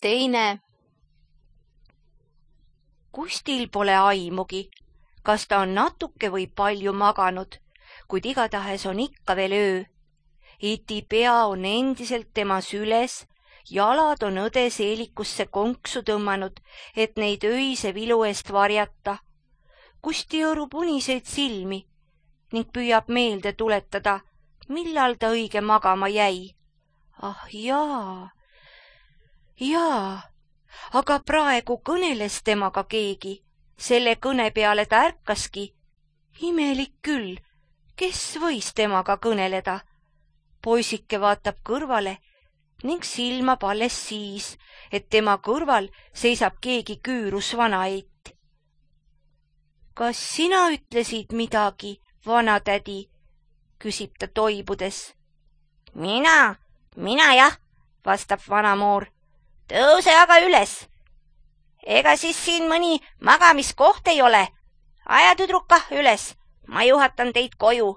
teine. Kustil pole aimugi, kas ta on natuke või palju maganud, kuid igatahes on ikka veel öö. Iti pea on endiselt tema süles, jalad on õde seelikusse konksu tõmmanud, et neid öise vilu eest varjata. Kusti õõrub uniseid silmi ning püüab meelde tuletada, millal ta õige magama jäi. Ah jaa, aga praegu kõneles temaga keegi. Selle kõne peale ta ärkaski. Imelik küll, kes võis temaga kõneleda? Poisike vaatab kõrvale ning silmab alles siis, et tema kõrval seisab keegi küürus vanaeit. Kas sina ütlesid midagi, vanatädi? Küsib ta toibudes. Mina jah, vastab vanamoor. Tõuse aga üles. Ega siis siin mõni magamiskoht ei ole. Aja tüdruka üles, ma juhatan teid koju.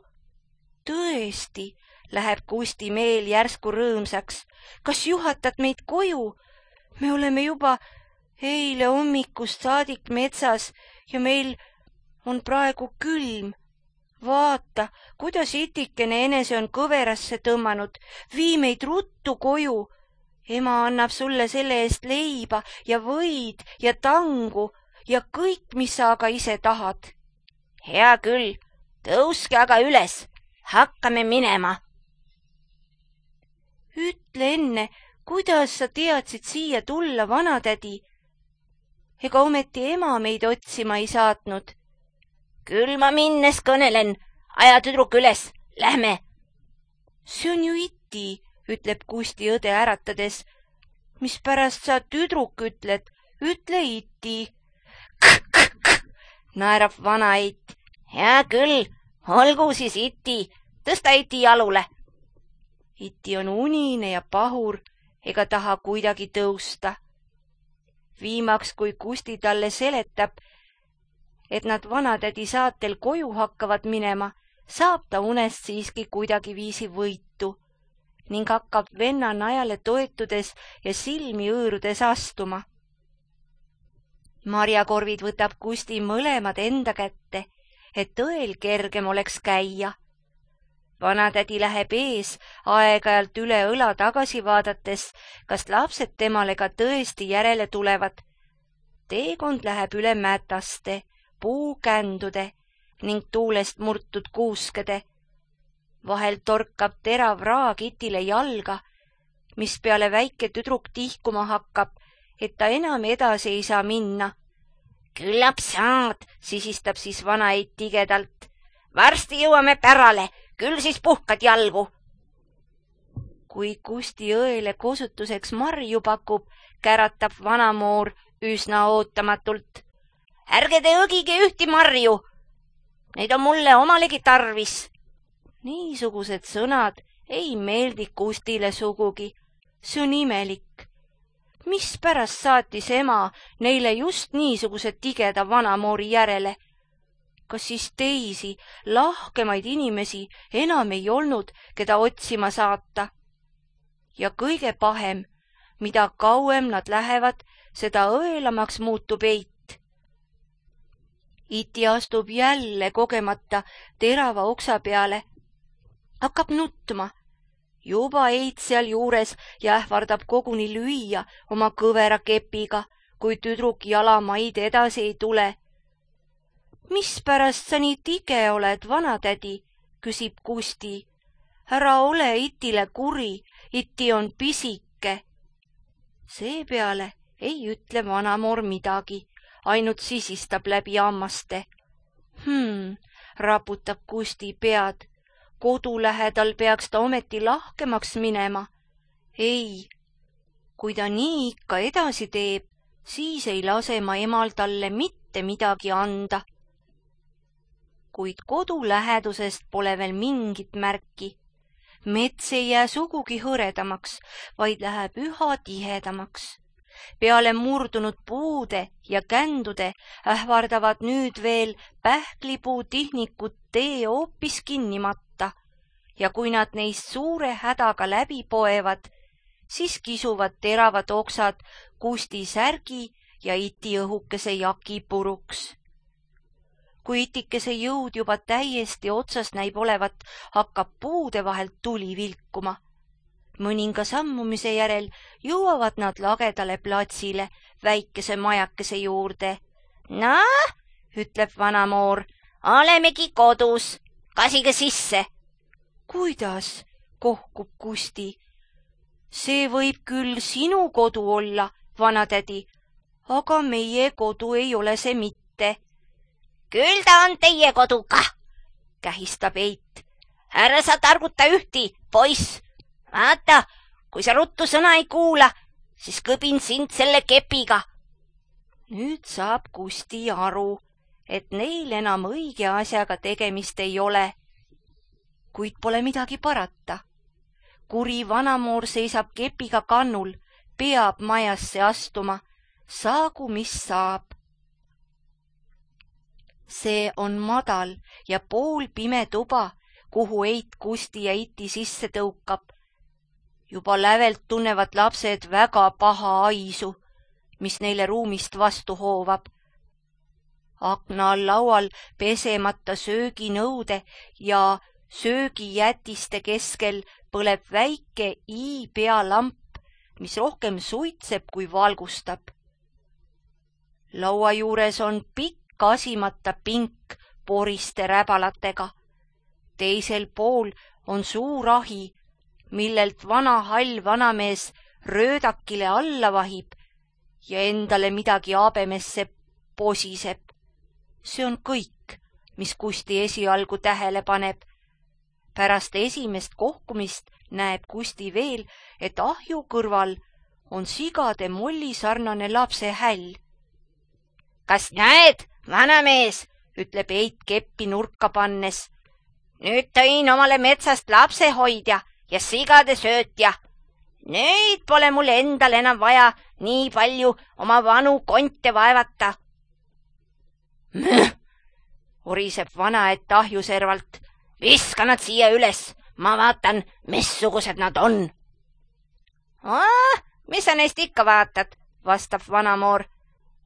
Tõesti, läheb Kusti meel järsku rõõmsaks. Kas juhatad meid koju? Me oleme juba eile hommikust saadik metsas ja meil on praegu külm. Vaata, kuidas itikene enese on kõverasse tõmmanud. Vii meid ruttu koju. Ema annab sulle selle eest leiba ja võid ja tangu ja kõik, mis sa aga ise tahad. Hea küll, tõuske aga üles, hakkame minema. Ütle enne, kuidas sa teadsid siia tulla, vanatädi? Ega ometi ema meid otsima ei saatnud. Küll ma minnes kõnelen, aja tüdruk üles, lähme. See on ju Iti, ütleb Kusti õde äratades. Mispärast sa tüdruk ütled? Ütle Iti. Naerab vanaeit. Hea küll, olgu siis Iti, tõsta Iti jalule. Iti on unine ja pahur ega taha kuidagi tõusta. Viimaks, kui Kusti talle seletab, et nad vanatädi saatel koju hakkavad minema, saab ta unest siiski kuidagi viisi võitu ning hakkab venna najale toetudes ja silmi õõrudes astuma. Marjakorvid võtab Kusti mõlemad enda kätte, et õel kergem oleks käia. Vanatädi läheb ees, aeg-ajalt üle õla tagasi vaadates, kas lapsed temale ka tõesti järele tulevad. Teekond läheb üle mätaste, puukändude ning tuulest murtud kuuskede. Vahel torkab terav raag Itile jalga, mis peale väike tüdruk tihkuma hakkab, et ta enam edasi ei saa minna. Küllap saad, sisistab siis vanaeit tigedalt. Varsti jõuame pärale, küll siis puhkad jalgu. Kui Kusti õele kosutuseks marju pakub, käratab vanamoor üsna ootamatult. Ärge te õgige ühti marju, neid on mulle omalegi tarvis. Niisugused sõnad ei meeldi Kustile sugugi. See on imelik. Mispärast saatis ema neile just niisuguse tigeda vanamoori järele? Kas siis teisi, lahkemaid inimesi enam ei olnud, keda otsima saata? Ja kõige pahem, mida kauem nad lähevad, seda õelamaks muutub eit. Iti astub jälle kogemata terava oksa peale. Hakkab nutma. Juba eit seal juures ja ähvardab koguni lüüa oma kõvera kepiga, kui tüdruk jalamaid edasi ei tule. Mispärast sa nii tige oled, vanatädi? Küsib Kusti. Ära ole Itile kuri, Iti on pisike. Seepeale ei ütle vanamoor midagi, ainult sisistab läbi hammaste. Raputab Kusti pead. Kodu lähedal peaks ta ometi lahkemaks minema. Ei, kui ta nii ikka edasi teeb, siis ei lase ma emal talle mitte midagi anda. Kuid kodu lähedusest pole veel mingit märki. Mets ei jää sugugi hõredamaks, vaid läheb üha tihedamaks. Peale murdunud puude ja kändude ähvardavad nüüd veel pähklipuu tihnikud tee hoopis kinni matta ja kui nad neist suure hädaga läbi poevad, siis kisuvad teravad oksad Kusti särgi ja Iti õhukese jaki puruks. Kui itikese jõud juba täiesti otsas näib olevat, hakkab puude vahelt tuli vilkuma. Mõninga sammumise järel jõuavad nad lagedale platsile väikese majakese juurde. "Noh," ütleb vanamoor, "olemegi kodus, kasige sisse." "Kuidas?" kohkub Kusti. "See võib küll sinu kodu olla, vanatädi, aga meie kodu ei ole see mitte." "Küll ta on teie kodu kah," kähistab Eit. "Ära sa targuta ühti, poiss. Vaata, kui sa ruttu sõna ei kuula, siis kõbin sind selle kepiga." Nüüd saab Kusti aru, et neil enam õige asjaga tegemist ei ole. Kuid pole midagi parata. Kuri vanamoor seisab kepiga kannul, peab majasse astuma, saagu mis saab. See on madal ja poolpime tuba, kuhu Eit Kusti ja Iti sisse tõukab. Juba lävelt tunnevad lapsed väga paha aisu, mis neile ruumist vastu hoovab. Akna all laual pesemata sööginõude ja söögijätiste keskel põleb väike i-pealamp, mis rohkem suitseb kui valgustab. Laua juures on pikk kasimata pink poriste räbalatega. Teisel pool on suur ahi, millelt vana hall vanamees röödakile alla vahib ja endale midagi habemesse posiseb. See on kõik, mis Kusti esialgu tähele paneb. Pärast esimest kohkumist näeb Kusti veel, et ahju kõrval on sigade mollisarnane lapse häll. "Kas näed, vanamees," ütleb Eit keppi nurka pannes. "Nüüd tõin omale metsast lapsehoidja ja sigade söötja. Nüüd pole mul endal enam vaja nii palju oma vanu konte vaevata." "Mõh," oriseb vanaett ahjuservalt. "Viska nad siia üles, ma vaatan, missugused nad on." "Mis sa neist ikka vaatad," vastab vanamoor.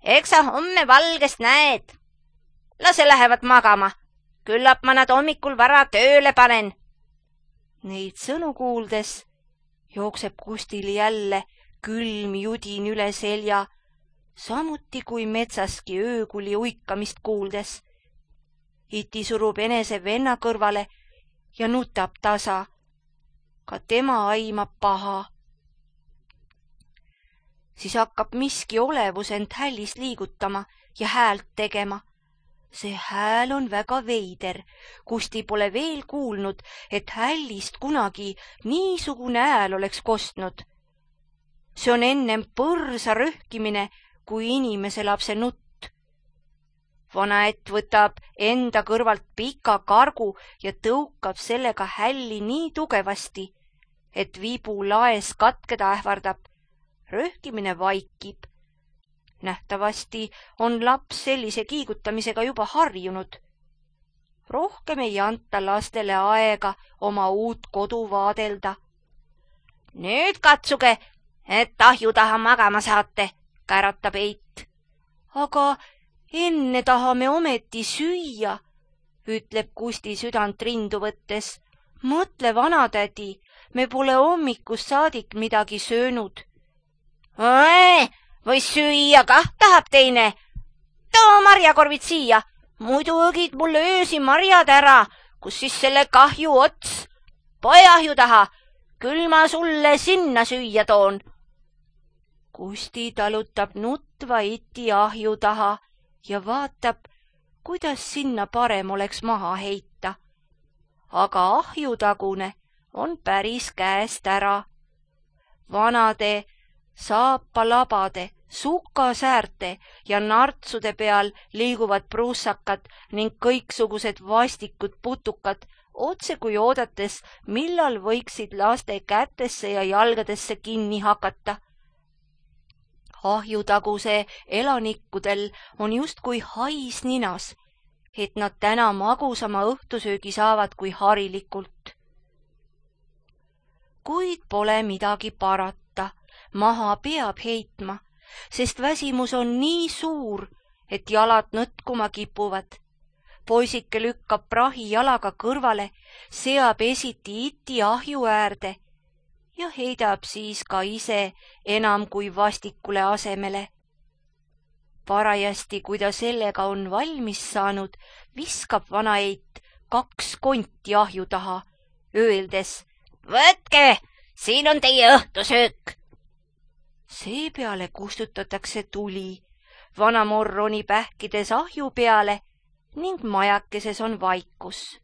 "Eks sa homme valgest näed. Lase lähevad magama, küllap ma nad hommikul vara tööle panen." Neid sõnu kuuldes jookseb Kustil jälle külm judin üle selja, samuti kui metsaski öökuli uikamist kuuldes. Iti surub enese venna kõrvale ja nutab tasa. Ka tema aimab paha. Siis hakkab miski olevus end hällis liigutama ja häält tegema. See hääl on väga veider. Kusti pole veel kuulnud, et hällist kunagi niisugune hääl oleks kostnud. See on ennem põrsa röhkimine kui inimese lapse nutt. Vanaett võtab enda kõrvalt pika kargu ja tõukab sellega hälli nii tugevasti, et vibu laes katkeda ähvardab. Röhkimine vaikib. Nähtavasti on laps sellise kiigutamisega juba harjunud. Rohkem ei anta lastele aega oma uut kodu vaadelda. "Nüüd katsuge, et ahju taha magama saate," käratab Eit. "Aga enne tahame ometi süüa," ütleb Kusti südant rindu võttes. "Mõtle, vanatädi, me pole hommikust saadik midagi söönud." "Või süüa kah tahab teine? Too marjakorvid siia, muidu õgid mulle öösi marjad ära, kus siis selle kahju ots. Poe ahju taha, küll ma sulle sinna süüa toon." Kusti talutab nutva Iti ahju taha ja vaatab, kuidas sinna parem oleks maha heita. Aga ahjutagune on päris käest ära. Vanade saapalabade, sukasäärte ja nartsude peal liiguvad prussakad ning kõiksugused vastikud putukad, otse kui oodates, millal võiksid laste kätesse ja jalgadesse kinni hakata. Ahjutaguse elanikkudel on justkui hais ninas, et nad täna magusama õhtusöögi saavad kui harilikult. Kuid pole midagi parata. maha peab heitma, sest väsimus on nii suur, et jalad nõtkuma kipuvad. Poisike lükkab prahi jalaga kõrvale, seab esiti iti ahju äärde ja heidab siis ka ise enam kui vastikule asemele. Parajasti, kui ta sellega on valmis saanud, viskab vanaeit 2 konti ahju taha, öeldes: "Võtke, siin on teie õhtusöök." Seepeale kustutatakse tuli, vanamoor ronib ähkides ahju peale ning majakeses on vaikus.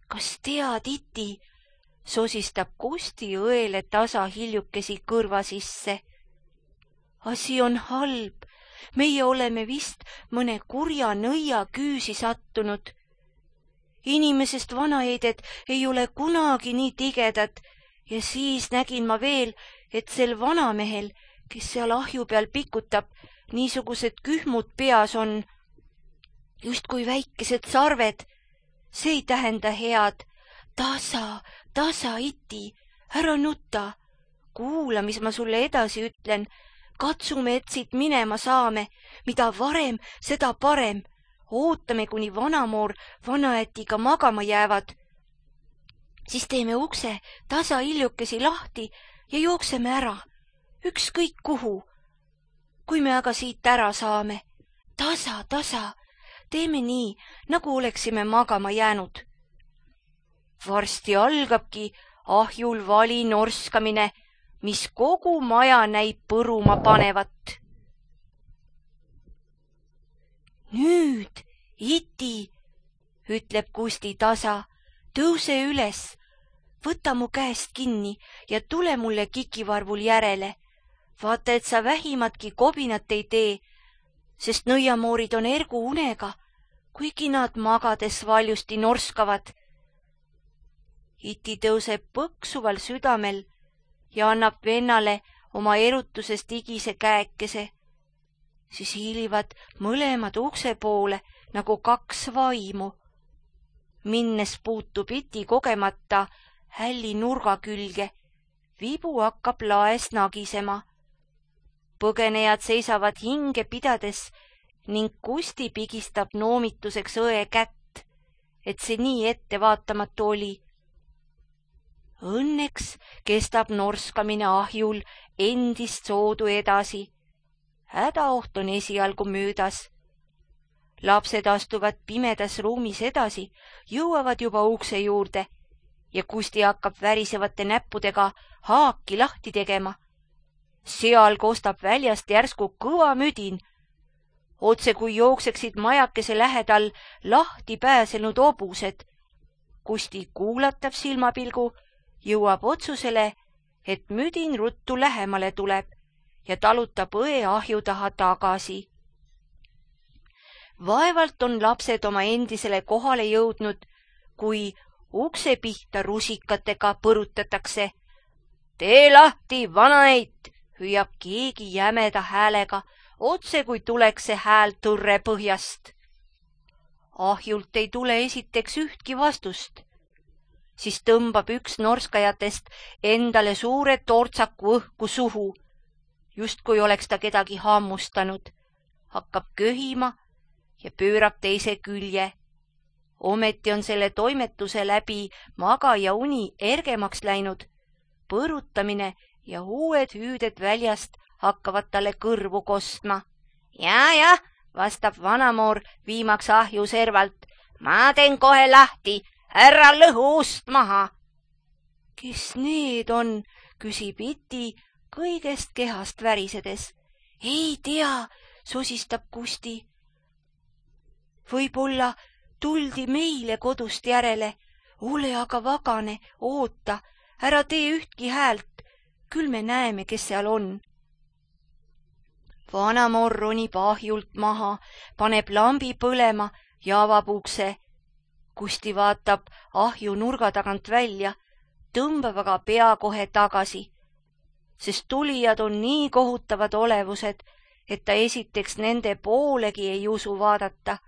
"Kas tead, iti?" sosistab Kusti õele tasa hiljukesi kõrva sisse. "Asi on halb, meie oleme vist mõne kurja nõia küüsi sattunud. Inimesest vanaeeded ei ole kunagi nii tigedad ja siis nägin ma veel, et sel vanamehel, kes seal ahju peal pikutab, niisugused kühmud peas on, justkui väikesed sarved. See ei tähenda head. Tasa, iti, ära nuta. Kuula, mis ma sulle edasi ütlen. Katsume, et siit minema saame. Mida varem, seda parem. Ootame, kuni vanamoor vanaätiga magama jäävad. Siis teeme ukse tasa hiljukesi lahti ja jookseme ära. Ükskõik kuhu. Kui me aga siit ära saame. Tasa. Teeme nii, nagu oleksime magama jäänud. Varsti algabki ahjul vali norskamine, mis kogu maja näib põruma panevat. Nüüd, iti, ütleb Kusti tasa, tõuse üles, võta mu käest kinni ja tule mulle kikivarvul järele. Vaata, et sa vähimatki kobinat ei tee, sest nõiamoorid on ergu unega, kuigi nad magades valjusti norskavad. Iti tõuseb põksuval südamel ja annab vennale oma erutusest igise käekese. Siis hiilivad mõlemad ukse poole nagu 2 vaimu. Minnes puutub iti kogemata hälli nurga külge. Vibu hakkab laes nagisema. Põgenejad seisavad hinge pidades ning Kusti pigistab noomituseks õe kätt, et see nii ettevaatamatu oli. Õnneks kestab norskamine ahjul endist soodu edasi. Hädaoht on esialgu möödas. Lapsed astuvad pimedas ruumis edasi, jõuavad juba ukse juurde ja Kusti hakkab värisevate näppudega haaki lahti tegema. Seal kostab väljast järsku kõva müdin, otse kui jookseksid majakese lähedal lahti pääsenud hobused. Kusti kuulatab silmapilgu, jõuab otsusele, et müdin ruttu lähemale tuleb ja talutab õe ahju taha tagasi. Vaevalt on lapsed oma endisele kohale jõudnud, kui ukse pihta rusikatega põrutatakse. Tee lahti, vanaeit, hüüab keegi jämeda häälega, otse kui tuleks see hääl tõrre põhjast. Ahjult ei tule esiteks ühtki vastust. Siis tõmbab üks norskajatest endale suure tortsaku õhku suhu, justkui oleks ta kedagi hammustanud, hakkab köhima ja pöörab teise külje. Ometi on selle toimetuse läbi magaja uni ergemaks läinud. Põrutamine ja uued hüüded väljast hakkavad talle kõrvu kostma. Ja, vastab vanamoor viimaks ahju servalt. Ma teen kohe lahti, ära lõhu ust maha. Kes need on, küsib iti kõigest kehast värisedes. Ei tea, sosistab Kusti. Võib-olla tuldi meile kodust järele. Ole aga vagane, oota, ära tee ühtki häält, küll me näeme, kes seal on. Vanamoor ronib ahjult maha, paneb lambi põlema ja avab ukse. Kusti vaatab ahju nurga tagant välja, tõmbab aga pea kohe tagasi, sest tulijad on nii kohutavad olevused, et ta esiteks nende poolegi ei usu vaadata.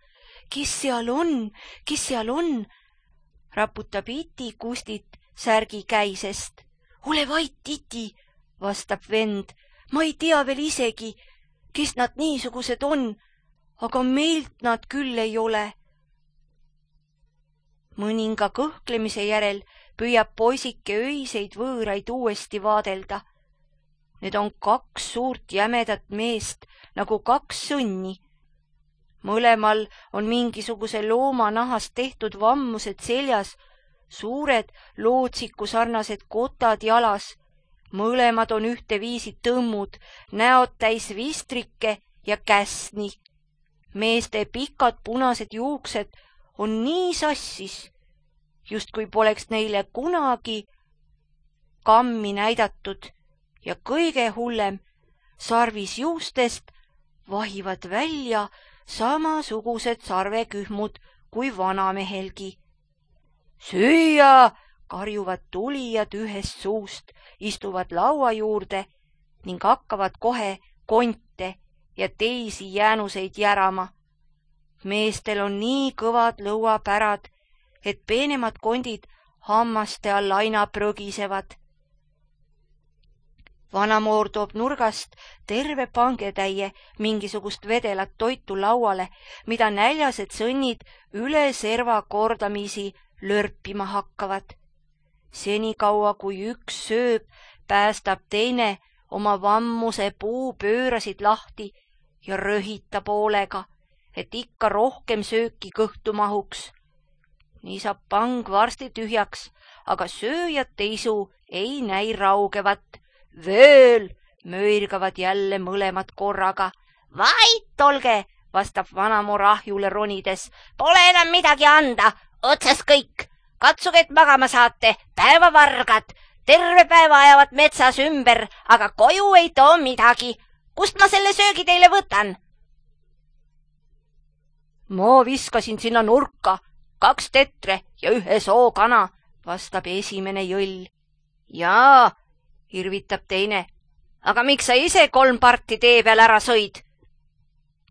Kes seal on? Raputab iti Kustit särgi käisest. Ole vait, iti, vastab vend. Ma ei tea veel isegi, kes nad niisugused on, aga meilt nad küll ei ole. Mõninga kõhklemise järel püüab poisike öiseid võõraid uuesti vaadelda. Need on 2 suurt jämedat meest nagu 2 sõnni. Mõlemal on mingisuguse looma nahast tehtud vammused seljas, suured lootsiku sarnased kotad jalas. Mõlemad on ühteviisi tõmmud, näod täis vistrikke ja käsni. Meeste pikad punased juuksed on nii sassis, justkui poleks neile kunagi kammi näidatud ja kõige hullem, sarvis juustest vahivad välja samasugused sarvekühmud kui vanamehelgi. Süüa, karjuvad tulijad ühest suust, istuvad laua juurde ning hakkavad kohe konte ja teisi jäänuseid järama. Meestel on nii kõvad lõuapärad, et peenemad kondid hammaste all aina prõgisevad. Vanamoor toob nurgast terve pangetäie mingisugust vedelat toitu lauale, mida näljased sõnnid üle serva kordamisi lörpima hakkavad. Senikaua, kui üks sööb, päästab teine oma vammuse puupöörasid lahti ja röhitab hoolega, et ikka rohkem sööki kõhtu mahuks. Nii saab pang varsti tühjaks, aga sööjate isu ei näi raugevat. Veel, möirgavad jälle mõlemad korraga. Vait olge, vastab vanamoor ahjule ronides. Pole enam midagi anda, otsas kõik. Katsuge, et magama saate, päevavargad. Terve päeva ajavad metsas ümber, aga koju ei too midagi. Kust ma selle söögi teile võtan? Ma viskasin sinna nurka 2 tetre ja 1 sookana, vastab esimene jõll. Jaa, irvitab teine. Aga miks sa ise 3 parti tee peal ära sõid?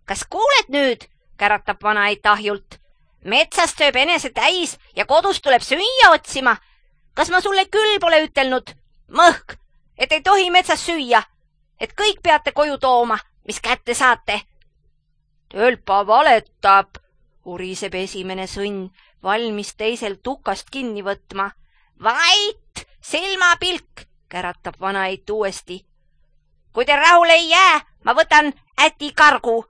Kas kuuled nüüd, käratab vanaeit ahjult. Metsast sööb enese täis ja kodust tuleb süüa otsima. Kas ma sulle küll pole ütelnud? Mõhk, et ei tohi metsas süüa, et kõik peate koju tooma, mis kätte saate. Tölpa valetab, uriseb esimene sõnn, valmis teisel tukast kinni võtma. Vait, silmapilk, käratab vanaeit uuesti. Kui te rahule ei jää, ma võtan äti kargu.